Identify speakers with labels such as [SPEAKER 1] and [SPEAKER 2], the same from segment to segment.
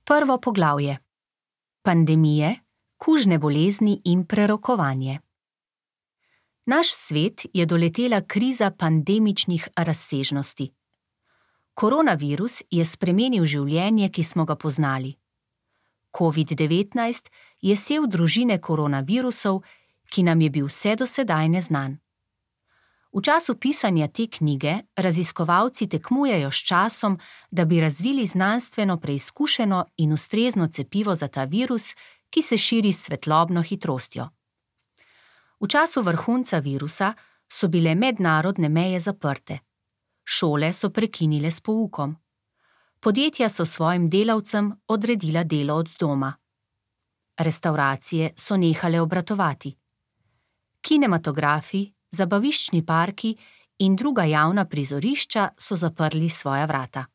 [SPEAKER 1] Prvo poglavje. Pandemije, kužne bolezni in prerokovanje. Naš svet je doletela kriza pandemičnih razsežnosti. Koronavirus je spremenil življenje, ki smo ga poznali. COVID-19 je sev družine koronavirusov, ki nam je bil vse do sedaj neznan. V času pisanja te knjige raziskovalci tekmujejo s časom, da bi razvili znanstveno preizkušeno in ustrezno cepivo za ta virus, ki se širi s svetlobno hitrostjo. V času vrhunca virusa so bile mednarodne meje zaprte. Šole so prekinile s poukom. Podjetja so svojim delavcem odredila delo od doma. Restavracije so nehale obratovati. Kinematografi, zabaviščni parki in druga javna prizorišča so zaprli svoja vrata.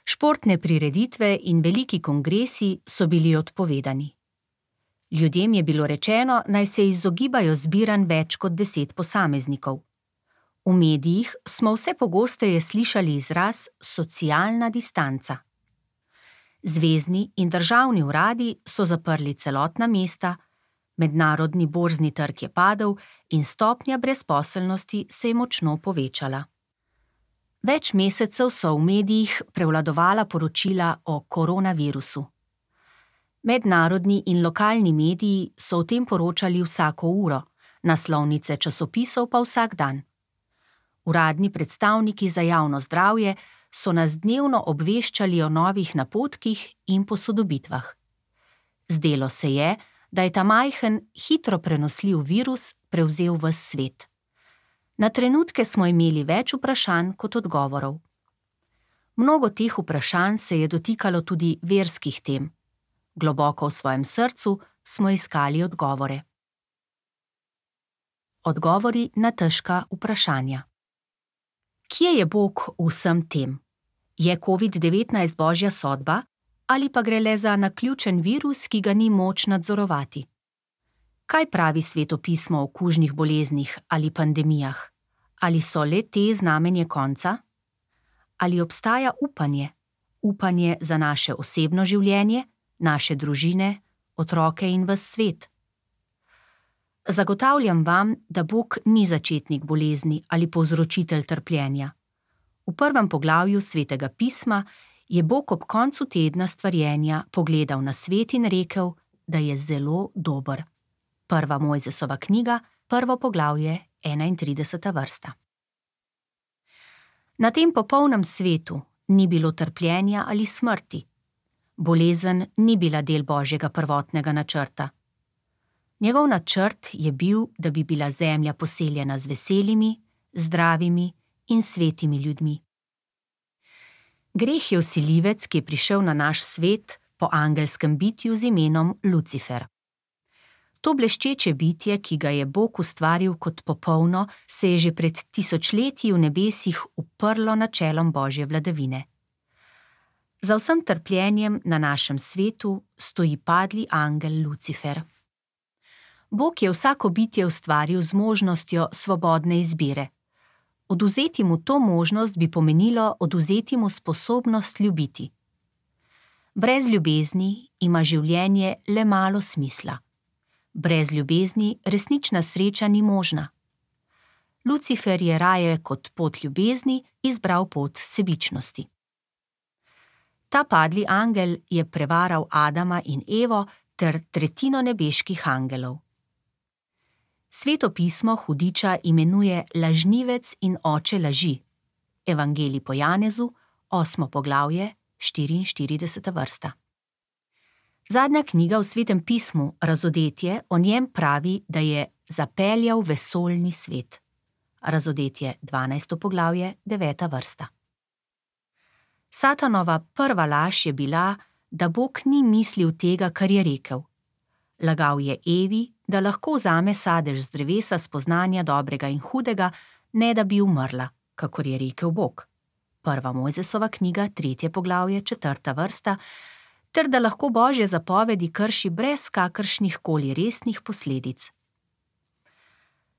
[SPEAKER 1] Športne prireditve in veliki kongresi so bili odpovedani. Ljudem je bilo rečeno, naj se izogibajo zbiranj več kot 10 posameznikov. V medijih smo vse pogosteje slišali izraz socialna distanca. Zvezni in državni uradi so zaprli celotna mesta, mednarodni borzni trg je padel in stopnja brezposelnosti se je močno povečala. Več mesecev so v medijih prevladovala poročila o koronavirusu. Mednarodni in lokalni mediji so o tem poročali vsako uro, naslovnice časopisov pa vsak dan. Uradni predstavniki za javno zdravje so nas dnevno obveščali o novih napotkih in posodobitvah. Zdelo se je, da je ta majhen, hitro prenosljiv virus prevzel ves svet. Na trenutke smo imeli več vprašanj kot odgovorov. Mnogo teh vprašanj se je dotikalo tudi verskih tem. Globoko v svojem srcu smo iskali odgovore. Odgovori na težka vprašanja. Kje je Bog v vsem tem? Je COVID-19 božja sodba? Ali pa gre le za naključen virus, ki ga ni moč nadzorovati? Kaj pravi Sveto pismo o kužnih boleznih ali pandemijah? Ali so le te znamenje konca? Ali obstaja upanje? Upanje za naše osebno življenje, naše družine, otroke in ves svet? Zagotavljam vam, da Bog ni začetnik bolezni ali povzročitelj trpljenja. V prvem poglavju Svetega pisma je Bog ob koncu tedna stvarjenja pogledal na svet in rekel, da je zelo dober. Prva Mojzesova knjiga, 1. poglavje, 31. vrsta. Na tem popolnem svetu ni bilo trpljenja ali smrti. Bolezen ni bila del Božjega prvotnega načrta. Njegov načrt je bil, da bi bila zemlja poseljena z veselimi, zdravimi in svetimi ljudmi. Greh je vsiljivec, ki je prišel na naš svet po angelskem bitju z imenom Lucifer. To bleščeče bitje, ki ga je Bog ustvaril kot popolno, se je že pred tisočletji v nebesih uprlo načelom Božje vladavine. Za vsem trpljenjem na našem svetu stoji padli angel Lucifer. Bog je vsako bitje ustvaril z možnostjo svobodne izbire. Odvzeti mu to možnost bi pomenilo odvzeti mu sposobnost ljubiti. Brez ljubezni ima življenje le malo smisla. Brez ljubezni resnična sreča ni možna. Lucifer je raje kot pot ljubezni izbral pot sebičnosti. Ta padli angel je prevaral Adama in Evo ter tretjino nebeških angelov. Sveto pismo hudiča imenuje lažnivec in oče laži. Evangelij po Janezu, 8. poglavje, 44. vrsta. Zadnja knjiga v Svetem pismu, Razodetje, o njem pravi, da je zapeljal vesoljni svet. Razodetje, 12. poglavje, 9. vrsta. Satanova prva laž je bila, da Bog ni mislil tega, kar je rekel. Lagal je Evi, da lahko vzame sadež z drevesa spoznanja dobrega in hudega, ne da bi umrla, kakor je rekel Bog. 1. Mojzesova knjiga, 3. poglavje, 4. vrsta, ter da lahko Božje zapovedi krši brez kakršnih koli resnih posledic.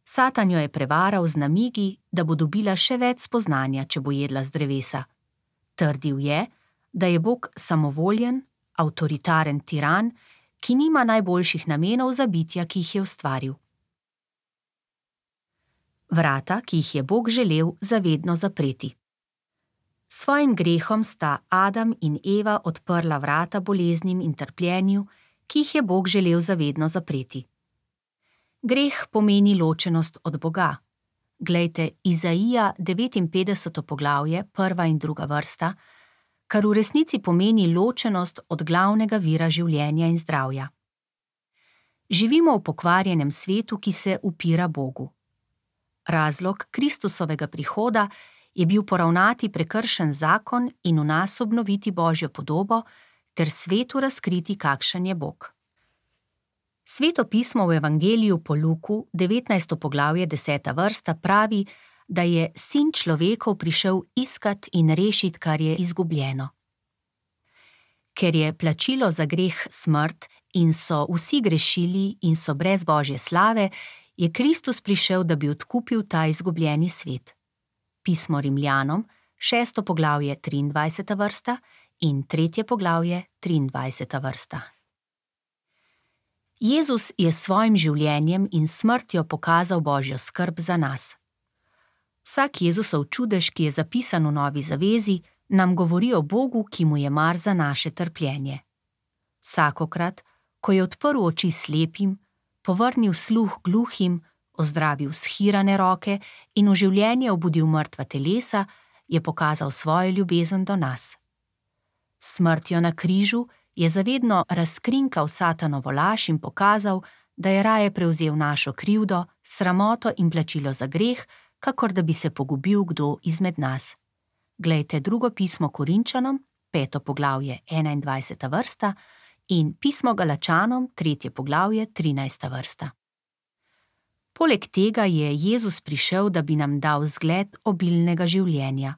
[SPEAKER 1] Satan jo je prevaral z namigi, da bo dobila še več spoznanja, če bo jedla z drevesa. Trdil je, da je Bog samovoljen, avtoritaren tiran, ki nima najboljših namenov za bitja, ki jih je ustvaril. Vrata, ki jih je Bog želel zavedno zapreti. S svojim grehom sta Adam in Eva odprla vrata boleznim in trpljenju, ki jih je Bog želel zavedno zapreti. Greh pomeni ločenost od Boga. Glejte Izaija 59. poglavje, 1. in 2. vrsta, kar v resnici pomeni ločenost od glavnega vira življenja in zdravja. Živimo v pokvarjenem svetu, ki se upira Bogu. Razlog Kristusovega prihoda je bil poravnati prekršen zakon in v nas obnoviti Božjo podobo ter svetu razkriti, kakšen je Bog. Sveto pismo v Evangeliju po Luku, 19. poglavje, 10. vrsta, pravi, da je Sin človekov prišel iskat in rešit, kar je izgubljeno. Ker je plačilo za greh smrt in so vsi grešili in so brez Božje slave, je Kristus prišel, da bi odkupil ta izgubljeni svet. Pismo Rimljanom, 6. poglavje, 23. vrsta in 3. poglavje, 23. vrsta. Jezus je s svojim življenjem in smrtjo pokazal Božjo skrb za nas. Vsak Jezusov čudež, ki je zapisan v Novi zavezi, nam govori o Bogu, ki mu je mar za naše trpljenje. Vsakokrat, ko je odprl oči slepim, povrnil sluh gluhim, ozdravil shirane roke in v življenje obudil mrtva telesa, je pokazal svojo ljubezen do nas. S smrtjo na križu je zavedno razkrinkal Satanovo laž in pokazal, da je raje prevzel našo krivdo, sramoto in plačilo za greh, kakor da bi se pogubil kdo izmed nas. Glejte drugo pismo Korinčanom, 5. poglavje, 21. vrsta in pismo Galačanom, 3. poglavje, 13. vrsta. Poleg tega je Jezus prišel, da bi nam dal zgled obilnega življenja.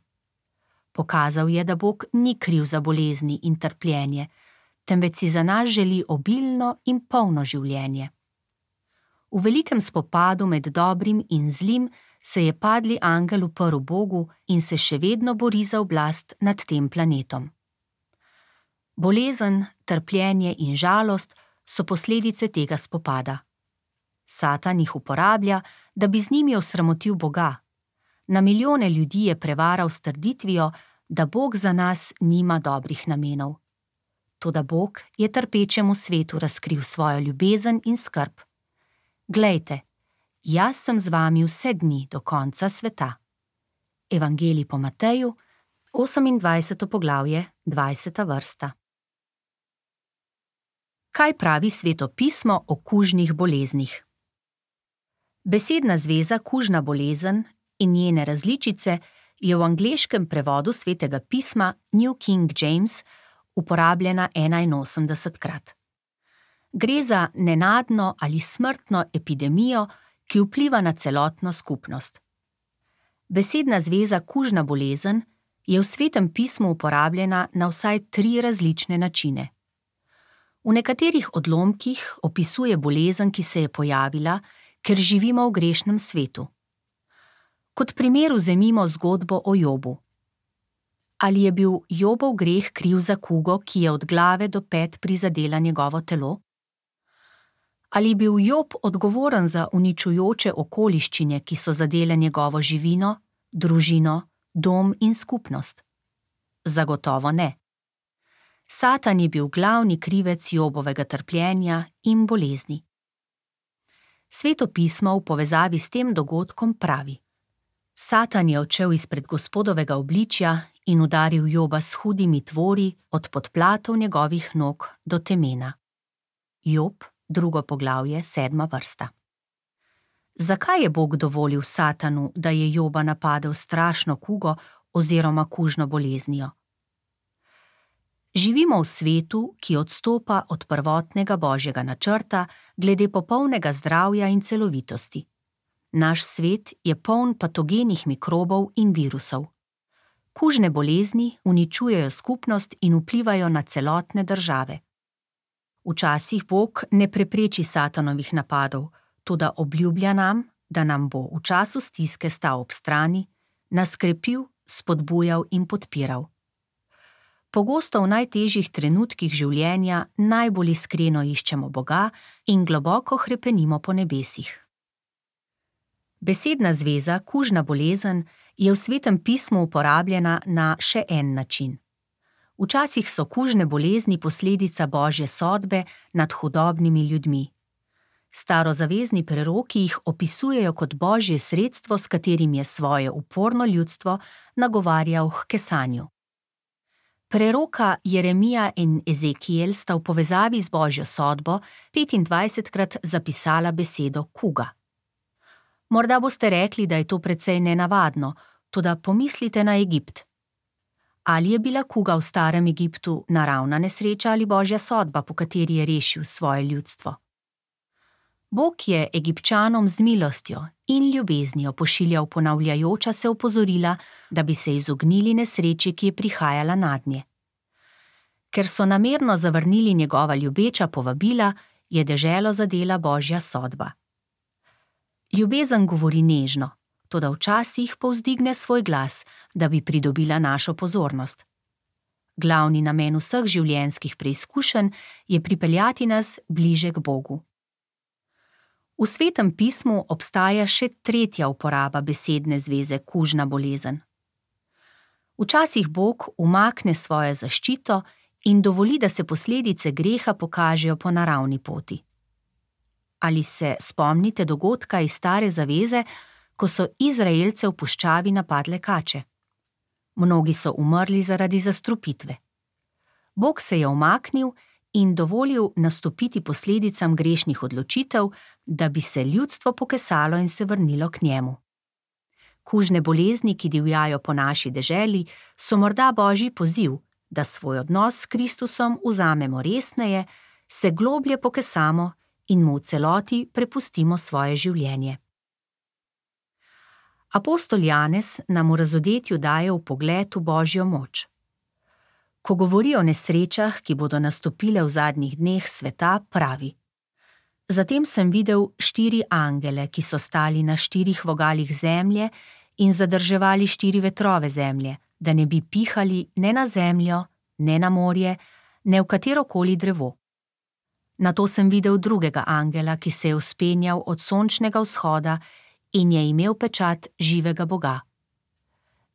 [SPEAKER 1] Pokazal je, da Bog ni kriv za bolezni in trpljenje, temveč si za nas želi obilno in polno življenje. V velikem spopadu med dobrim in zlim se je padli angel uprl Bogu in se še vedno bori za oblast nad tem planetom. Bolezen, trpljenje in žalost so posledice tega spopada. Satan jih uporablja, da bi z njimi osramotil Boga. Na milijone ljudi je prevaral s trditvijo, da Bog za nas nima dobrih namenov. Toda Bog je trpečemu svetu razkril svojo ljubezen in skrb. Glejte, jaz sem z vami vse dni do konca sveta. Evangelij po Mateju, 28. poglavje, 20. vrsta. Kaj pravi Sveto pismo o kužnih boleznih? Besedna zveza kužna bolezen in njene različice je v angleškem prevodu Svetega pisma New King James uporabljena 81-krat. Gre za nenadno ali smrtno epidemijo, ki vpliva na celotno skupnost. Besedna zveza kužna bolezen je v Svetem pismu uporabljena na vsaj 3 različne načine. V nekaterih odlomkih opisuje bolezen, ki se je pojavila, ker živimo v grešnem svetu. Kot primer vzemimo zgodbo o Jobu. Ali je bil Jobov greh kriv za kugo, ki je od glave do pet prizadela njegovo telo? Ali je bil Job odgovoren za uničujoče okoliščine, ki so zadele njegovo živino, družino, dom in skupnost? Zagotovo ne. Satan je bil glavni krivec Jobovega trpljenja in bolezni. Sveto pismo v povezavi s tem dogodkom pravi: Satan je odšel izpred Gospodovega obličja in udaril Joba s hudimi tvori od podplatov njegovih nog do temena. Job, 2. poglavje, 7. vrsta. Zakaj je Bog dovolil Satanu, da je Joba napadel strašno kugo oziroma kužno boleznijo? Živimo v svetu, ki odstopa od prvotnega Božjega načrta glede popolnega zdravja in celovitosti. Naš svet je poln patogenih mikrobov in virusov. Kužne bolezni uničujejo skupnost in vplivajo na celotne države. Včasih Bog ne prepreči Satanovih napadov, toda obljublja nam, da nam bo v času stiske stal ob strani, nas krepil, spodbujal in podpiral. Pogosto v najtežjih trenutkih življenja najbolj iskreno iščemo Boga in globoko hrepenimo po nebesih. Besedna zveza kužna bolezen je v Svetem pismu uporabljena na še en način. Včasih so kužne bolezni posledica Božje sodbe nad hudobnimi ljudmi. Starozavezni preroki jih opisujejo kot Božje sredstvo, s katerim je svoje uporno ljudstvo nagovarjal h kesanju. Preroka Jeremija in Ezekiel sta v povezavi z Božjo sodbo 25krat zapisala besedo kuga. Morda boste rekli, da je to precej nenavadno, toda pomislite na Egipt. Ali je bila kuga v starem Egiptu naravna nesreča ali Božja sodba, po kateri je rešil svoje ljudstvo? Bog je Egipčanom z milostjo in ljubeznijo pošiljal ponavljajoča se opozorila, da bi se izognili nesreči, ki je prihajala nadnje. Ker so namerno zavrnili njegova ljubeča povabila, je deželo zadela Božja sodba. Ljubezen govori nežno, toda včasih povzdigne svoj glas, da bi pridobila našo pozornost. Glavni namen vseh življenjskih preizkušenj je pripeljati nas bliže k Bogu. V Svetem pismu obstaja še tretja uporaba besedne zveze kužna bolezen. Včasih Bog umakne svojo zaščito in dovoli, da se posledice greha pokažejo po naravni poti. Ali se spomnite dogodka iz Stare zaveze, ko so Izraelce v puščavi napadle kače? Mnogi so umrli zaradi zastrupitve. Bog se je umaknil in dovolil nastopiti posledicam grešnih odločitev, da bi se ljudstvo pokesalo in se vrnilo k njemu. Kužne bolezni, ki divjajo po naši deželi, so morda Božji poziv, da svoj odnos s Kristusom vzamemo resneje, se globlje pokesamo in mu v celoti prepustimo svoje življenje. Apostol Janez nam v razodetju daje vpogled v Božjo moč. Ko govori o nesrečah, ki bodo nastopile v zadnjih dneh sveta, pravi: Zatem sem videl 4 angele, ki so stali na 4 vogalih zemlje in zadrževali 4 vetrove zemlje, da ne bi pihali ne na zemljo, ne na morje, ne v katerokoli drevo. Nato sem videl drugega angela, ki se je vzpenjal od sončnega vzhoda in je imel pečat živega Boga.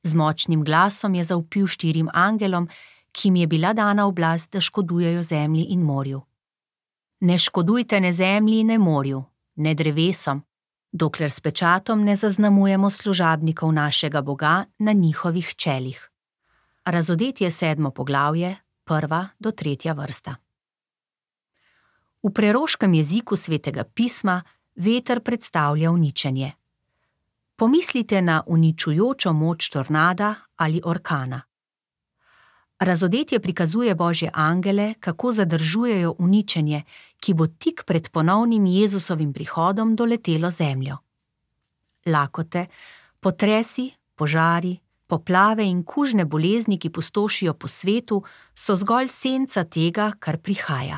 [SPEAKER 1] Z močnim glasom je zavpil 4 angelom, ki jim je bila dana oblast, da škodujejo zemlji in morju. Ne škodujte ne zemlji, ne morju, ne drevesom, dokler s pečatom ne zaznamujemo služabnikov našega Boga na njihovih čelih. Razodetje 7. poglavje, 1. do 3. vrsta. V preroškem jeziku Svetega pisma veter predstavlja uničenje. Pomislite na uničujočo moč tornada ali orkana. Razodetje prikazuje Božje angele, kako zadržujejo uničenje, ki bo tik pred ponovnim Jezusovim prihodom doletelo zemljo. Lakote, potresi, požari, poplave in kužne bolezni, ki pustošijo po svetu, so zgolj senca tega, kar prihaja.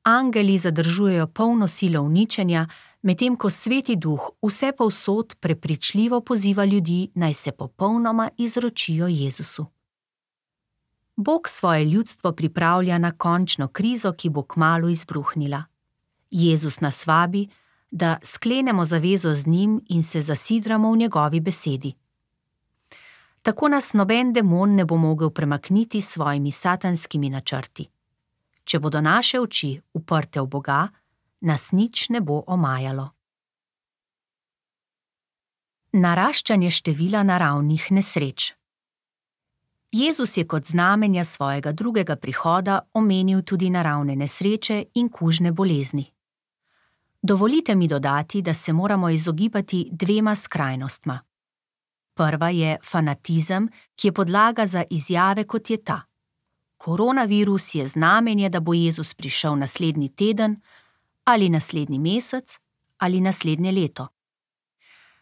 [SPEAKER 1] Angeli zadržujejo polno silo uničenja, medtem ko Sveti Duh vsepovsod prepričljivo poziva ljudi, naj se popolnoma izročijo Jezusu. Bog svoje ljudstvo pripravlja na končno krizo, ki bo kmalu izbruhnila. Jezus nas vabi, da sklenemo zavezo z njim in se zasidramo v njegovi besedi. Tako nas noben demon ne bo mogel premakniti s svojimi satanskimi načrti. Če bodo naše oči uprte v Boga, nas nič ne bo omajalo. Naraščanje števila naravnih nesreč. Jezus je kot znamenja svojega drugega prihoda omenil tudi naravne nesreče in kužne bolezni. Dovolite mi dodati, da se moramo izogibati 2 skrajnostma. Prva je fanatizem, ki je podlaga za izjave, kot je ta: Koronavirus je znamenje, da bo Jezus prišel naslednji teden, ali naslednji mesec, ali naslednje leto.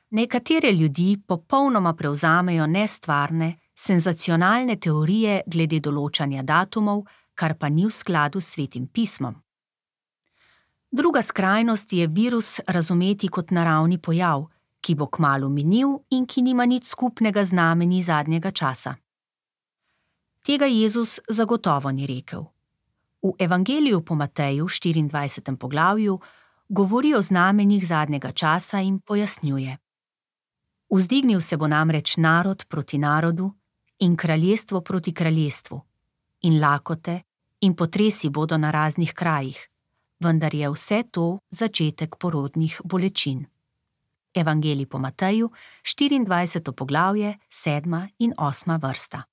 [SPEAKER 1] Nekatere ljudi popolnoma prevzamejo nestvarne, senzacionalne teorije glede določanja datumov, kar pa ni v skladu s Svetim pismom. Druga skrajnost je virus razumeti kot naravni pojav, ki bo kmalu minil in ki nima nič skupnega z znamenji zadnjega časa. Tega Jezus zagotovo ni rekel. V Evangeliju po Mateju, 24. poglavju, govori o znamenjih zadnjega časa in pojasnjuje. Vzdignil se bo namreč narod proti narodu in kraljestvo proti kraljestvu, in lakote in potresi bodo na raznih krajih, vendar je vse to začetek porodnih bolečin. Evangelij po Mateju, 24. poglavje, 7. in 8. vrsta.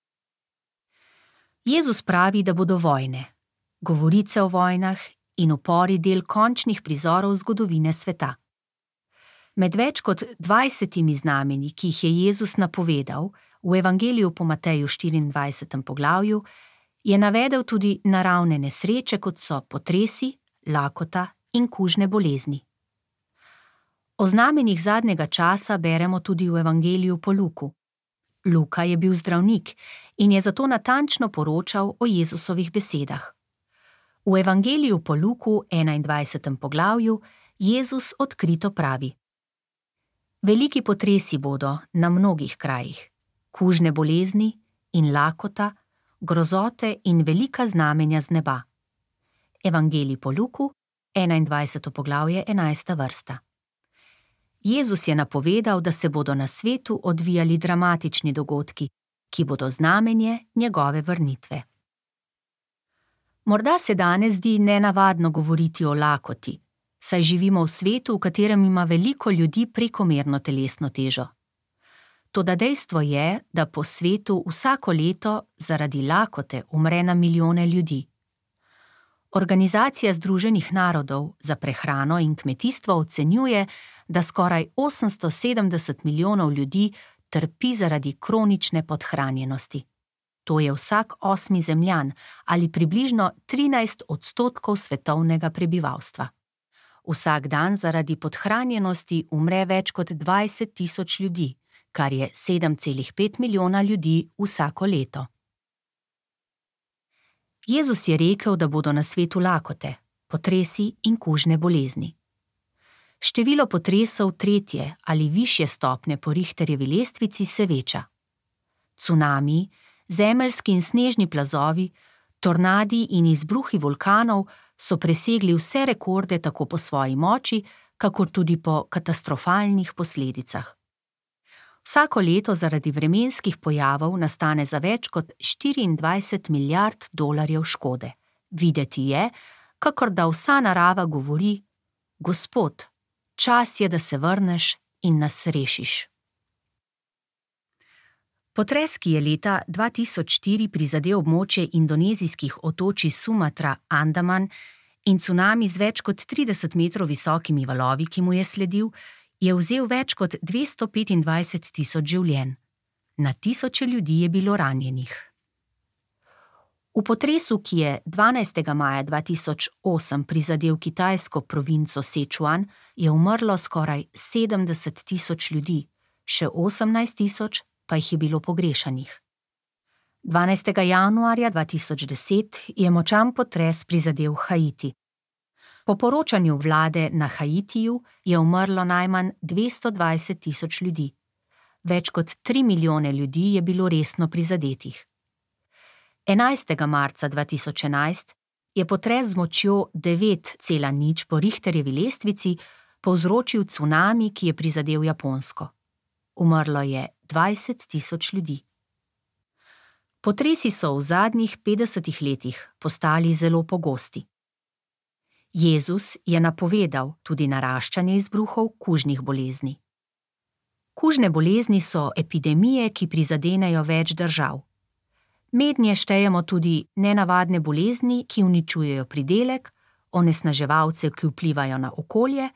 [SPEAKER 1] Jezus pravi, da bodo vojne, govorice o vojnah in upori del končnih prizorov zgodovine sveta. Med več kot 20 znamenji, ki jih je Jezus napovedal v Evangeliju po Mateju 24. poglavju, je navedel tudi naravne nesreče, kot so potresi, lakota in kužne bolezni. O znamenjih zadnjega časa beremo tudi v Evangeliju po Luku. Luka je bil zdravnik in je zato natančno poročal o Jezusovih besedah. V Evangeliju po Luku 21. poglavju Jezus odkrito pravi: Veliki potresi bodo na mnogih krajih, kužne bolezni in lakota, grozote in velika znamenja z neba. Evangelij po Luku, 21. poglavje, 11. vrsta. Jezus je napovedal, da se bodo na svetu odvijali dramatični dogodki, ki bodo znamenje njegove vrnitve. Morda se danes zdi nenavadno govoriti o lakoti, saj živimo v svetu, v katerem ima veliko ljudi prekomerno telesno težo. Toda dejstvo je, da po svetu vsako leto zaradi lakote umre na milijone ljudi. Organizacija Združenih narodov za prehrano in kmetijstvo ocenjuje, da skoraj 870 milijonov ljudi trpi zaradi kronične podhranjenosti. To je vsak 8. Zemljan ali približno 13% svetovnega prebivalstva. Vsak dan zaradi podhranjenosti umre več kot 20.000 ljudi, kar je 7,5 milijona ljudi vsako leto. Jezus je rekel, da bodo na svetu lakote, potresi in kužne bolezni. Število potresov 3. ali višje stopnje po Richterjevi lestvici se veča. Cunami, zemeljski in snežni plazovi, tornadi in izbruhi vulkanov so presegli vse rekorde tako po svoji moči, kakor tudi po katastrofalnih posledicah. Vsako leto zaradi vremenskih pojavov nastane za več kot 24 milijard dolarjev škode. Videti je, kakor da vsa narava govori: Gospod, čas je, da se vrneš in nas rešiš. Potres, ki je leta 2004 prizadel območje indonezijskih otočij Sumatra, Andaman in cunami z več kot 30 metrov visokimi valovi, ki mu je sledil, je vzel več kot 225.000 življenj. Na tisoče ljudi je bilo ranjenih. V potresu, ki je 12. maja 2008 prizadel kitajsko provinco Sichuan, je umrlo skoraj 70.000 ljudi, še 18.000 pa jih je bilo pogrešanih. 12. januarja 2010 je močan potres prizadel Haiti. Po poročanju vlade na Haitiju je umrlo najmanj 220.000 ljudi. Več kot 3 milijone ljudi je bilo resno prizadetih. 11. marca 2011 je potres z močjo 9,0 po Richterjevi lestvici povzročil cunami, ki je prizadel Japonsko. Umrlo je 20.000 ljudi. Potresi so v zadnjih 50 letih postali zelo pogosti. Jezus je napovedal tudi naraščanje izbruhov kužnih bolezni. Kužne bolezni so epidemije, ki prizadenejo več držav. Mednje štejemo tudi nenavadne bolezni, ki uničujejo pridelek, onesnaževalce, ki vplivajo na okolje,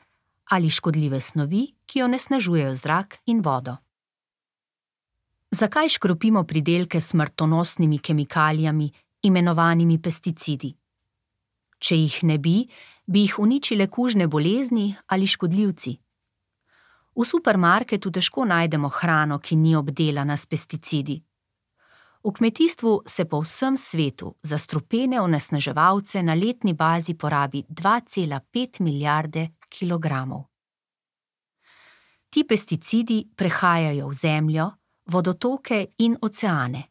[SPEAKER 1] ali škodljive snovi, ki onesnažujejo zrak in vodo. Zakaj škropimo pridelke s smrtonosnimi kemikalijami, imenovanimi pesticidi? Če jih ne bi jih uničile kužne bolezni ali škodljivci. V supermarketu težko najdemo hrano, ki ni obdelana s pesticidi. V kmetijstvu se po vsem svetu za strupene onesnaževalce na letni bazi porabi 2,5 milijarde kilogramov. Ti pesticidi prehajajo v zemljo, vodotoke in oceane.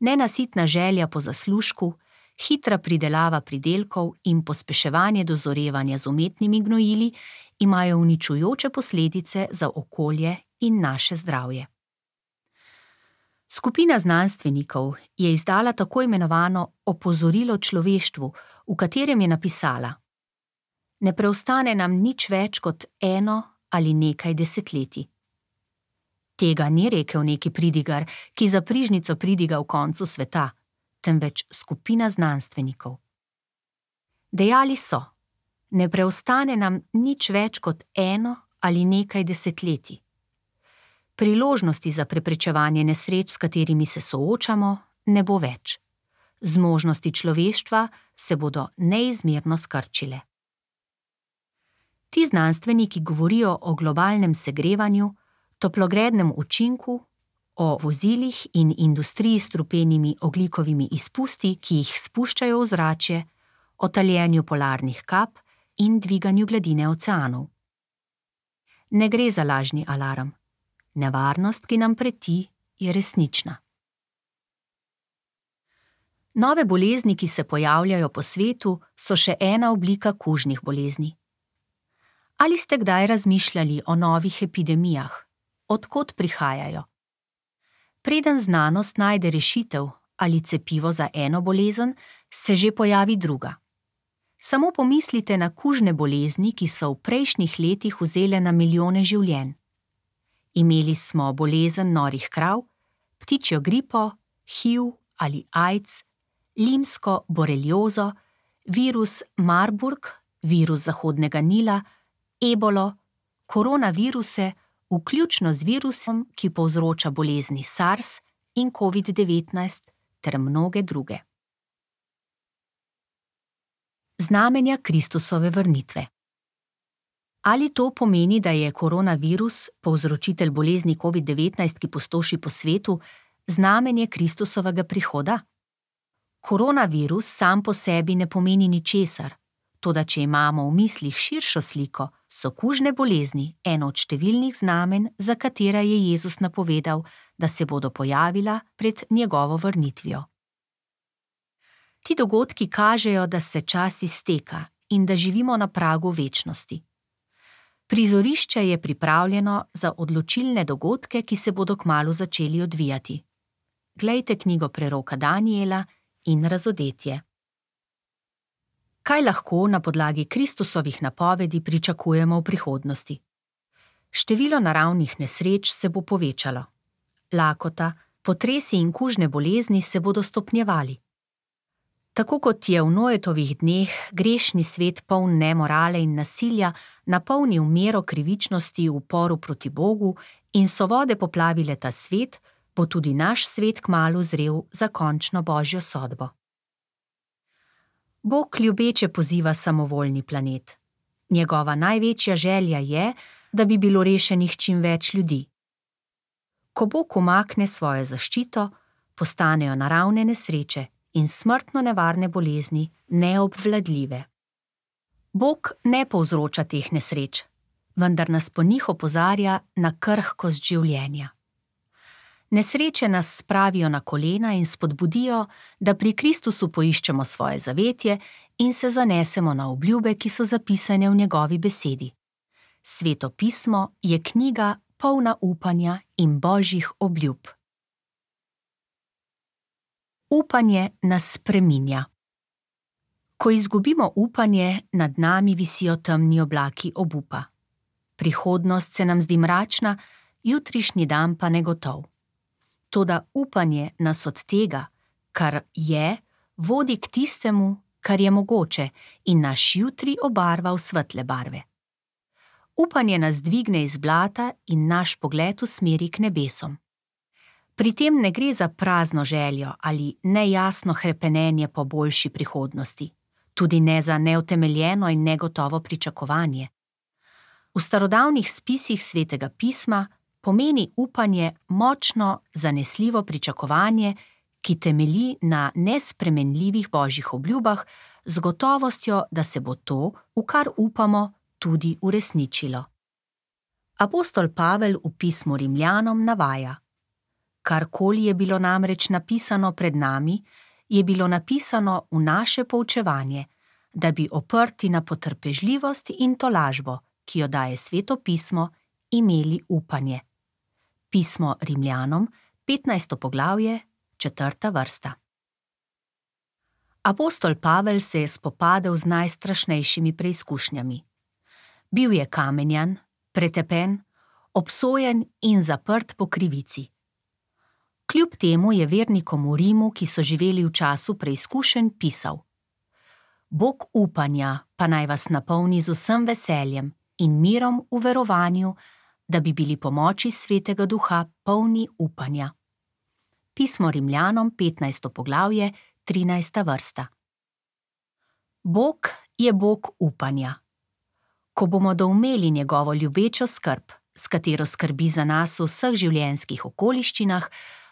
[SPEAKER 1] Nenasitna želja po zaslužku, hitra pridelava pridelkov in pospeševanje dozorevanja z umetnimi gnojili imajo uničujoče posledice za okolje in naše zdravje. Skupina znanstvenikov je izdala tako imenovano opozorilo človeštvu, v katerem je napisala: Ne preostane nam nič več kot 1 ali nekaj desetletij. Tega ni rekel neki pridigar, ki za prižnico pridiga v koncu sveta, temveč skupina znanstvenikov. Dejali so: Ne preostane nam nič več kot 1 ali nekaj desetletij. Priložnosti za preprečevanje nesreč, s katerimi se soočamo, ne bo več. Zmožnosti človeštva se bodo neizmerno skrčile. Ti znanstveniki govorijo o globalnem segrevanju, toplogrednem učinku, o vozilih in industriji s strupenimi ogljikovimi izpusti, ki jih spuščajo v zračje, o taljenju polarnih kap in dviganju gladine oceanov. Ne gre za lažni alarm. Nevarnost, ki nam preti, je resnična. Nove bolezni, ki se pojavljajo po svetu, so še ena oblika kužnih bolezni. Ali ste kdaj razmišljali o novih epidemijah? Od kod prihajajo? Preden znanost najde rešitev ali cepivo za eno bolezen, se že pojavi druga. Samo pomislite na kužne bolezni, ki so v prejšnjih letih vzele na milijone življenj. Imeli smo bolezen norih krav, ptičjo gripo, HIV ali AIDS, limsko boreliozo, virus Marburg, virus Zahodnega Nila, ebolo, koronaviruse, vključno z virusom, ki povzroča bolezni SARS in COVID-19 ter mnoge druge. Znamenja Kristusove vrnitve. Ali to pomeni, da je koronavirus, povzročitelj bolezni COVID-19, ki pustoši po svetu, znamenje Kristusovega prihoda? Koronavirus sam po sebi ne pomeni ničesar, toda če imamo v mislih širšo sliko, so kužne bolezni eno od številnih znamenj, za katera je Jezus napovedal, da se bodo pojavila pred njegovo vrnitvijo. Ti dogodki kažejo, da se čas izteka in da živimo na pragu večnosti. Prizorišče je pripravljeno za odločilne dogodke, ki se bodo kmalu začeli odvijati. Glejte knjigo preroka Daniela in Razodetje. Kaj lahko na podlagi Kristusovih napovedi pričakujemo v prihodnosti? Število naravnih nesreč se bo povečalo. Lakota, potresi in kužne bolezni se bodo stopnjevali. Tako kot je v Noetovih dneh grešni svet poln nemorale in nasilja napolnil mero krivičnosti v uporu proti Bogu in so vode poplavile ta svet, bo tudi naš svet kmalu zrel za končno božjo sodbo. Bog ljubeče poziva samovoljni planet. Njegova največja želja je, da bi bilo rešenih čim več ljudi. Ko Bog umakne svojo zaščito, postanejo naravne nesreče in smrtno nevarne bolezni neobvladljive. Bog ne povzroča teh nesreč, vendar nas po njih opozarja na krhkost življenja. Nesreče nas spravijo na kolena in spodbudijo, da pri Kristusu poiščemo svoje zavetje in se zanesemo na obljube, ki so zapisane v njegovi besedi. Sveto pismo je knjiga polna upanja in božjih obljub. Upanje nas spreminja. Ko izgubimo upanje, nad nami visijo temni oblaki obupa. Prihodnost se nam zdi mračna, jutrišnji dan pa negotov. Toda upanje nas od tega, kar je, vodi k tistemu, kar je mogoče in naš jutri obarva v svetle barve. Upanje nas dvigne iz blata in naš pogled usmeri k nebesom. Pri tem ne gre za prazno željo ali nejasno hrepenenje po boljši prihodnosti, tudi ne za neutemeljeno in negotovo pričakovanje. V starodavnih spisih Svetega pisma pomeni upanje močno, zanesljivo pričakovanje, ki temelji na nespremenljivih božjih obljubah, z gotovostjo, da se bo to, v kar upamo, tudi uresničilo. Apostol Pavel v pismu Rimljanom navaja: Karkoli je bilo namreč napisano pred nami, je bilo napisano v naše poučevanje, da bi oprti na potrpežljivost in tolažbo, ki jo daje Sveto pismo, imeli upanje. Pismo Rimljanom, 15. poglavje, 4. vrsta. Apostol Pavel se je spopadel z najstrašnejšimi preizkušnjami. Bil je kamenjan, pretepen, obsojen in zaprt po krivici. Kljub temu je vernikom v Rimu, ki so živeli v času preizkušenj, pisal: Bog upanja pa naj vas napolni z vsem veseljem in mirom v verovanju, da bi bili po moči Svetega Duha polni upanja. Pismo Rimljanom, 15. poglavje, 13. vrsta. Bog je Bog upanja. Ko bomo doumeli njegovo ljubečo skrb, s katero skrbi za nas v vseh življenjskih okoliščinah,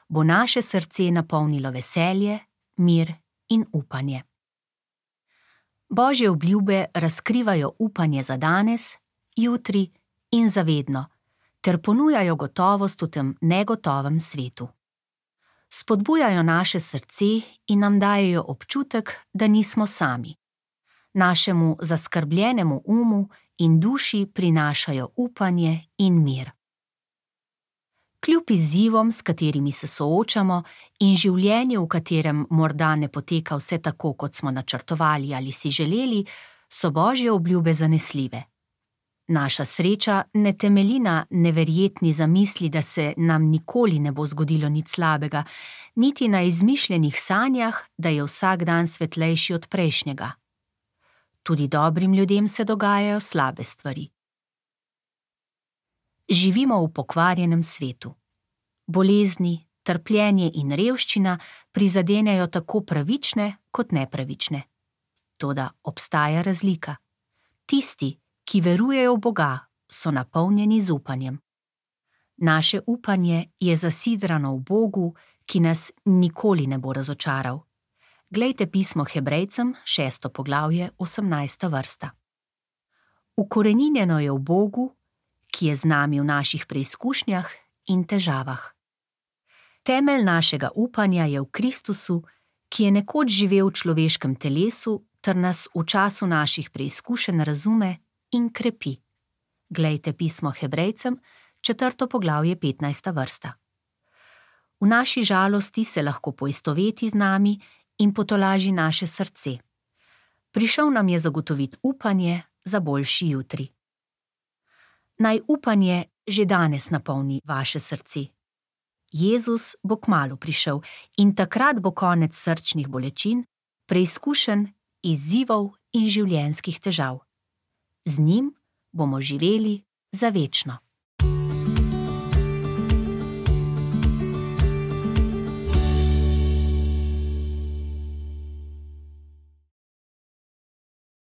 [SPEAKER 1] bo naše srce napolnilo veselje, mir in upanje. Božje obljube razkrivajo upanje za danes, jutri in za vedno, ter ponujajo gotovost v tem negotovem svetu. Spodbujajo naše srce in nam dajejo občutek, da nismo sami. Našemu zaskrbljenemu umu in duši prinašajo upanje in mir. Kljub izzivom, s katerimi se soočamo, in življenju, v katerem morda ne poteka vse tako, kot smo načrtovali ali si želeli, so Božje obljube zanesljive. Naša sreča ne temelji na neverjetni zamisli, da se nam nikoli ne bo zgodilo nič slabega, niti na izmišljenih sanjah, da je vsak dan svetlejši od prejšnjega. Tudi dobrim ljudem se dogajajo slabe stvari. Živimo v pokvarjenem svetu. Bolezni, trpljenje in revščina prizadenejo tako pravične kot nepravične. Toda obstaja razlika. Tisti, ki verujejo v Boga, so napolnjeni z upanjem. Naše upanje je zasidrano v Bogu, ki nas nikoli ne bo razočaral. Glejte pismo Hebrejcem, 6. poglavje, 18. vrsta. Ukoreninjeno je v Bogu, ki je z nami v naših preizkušnjah in težavah. Temelj našega upanja je v Kristusu, ki je nekoč živel v človeškem telesu ter nas v času naših preizkušenj razume in krepi. Glejte pismo Hebrejcem, 4. poglavje, 15. vrsta. V naši žalosti se lahko poistoveti z nami in potolaži naše srce. Prišel nam je zagotoviti upanje za boljši jutri. Naj upanje že danes napolni vaše srce. Jezus bo kmalu prišel in takrat bo konec srčnih bolečin, preizkušenj, izzivov in življenjskih težav. Z njim bomo živeli za večno.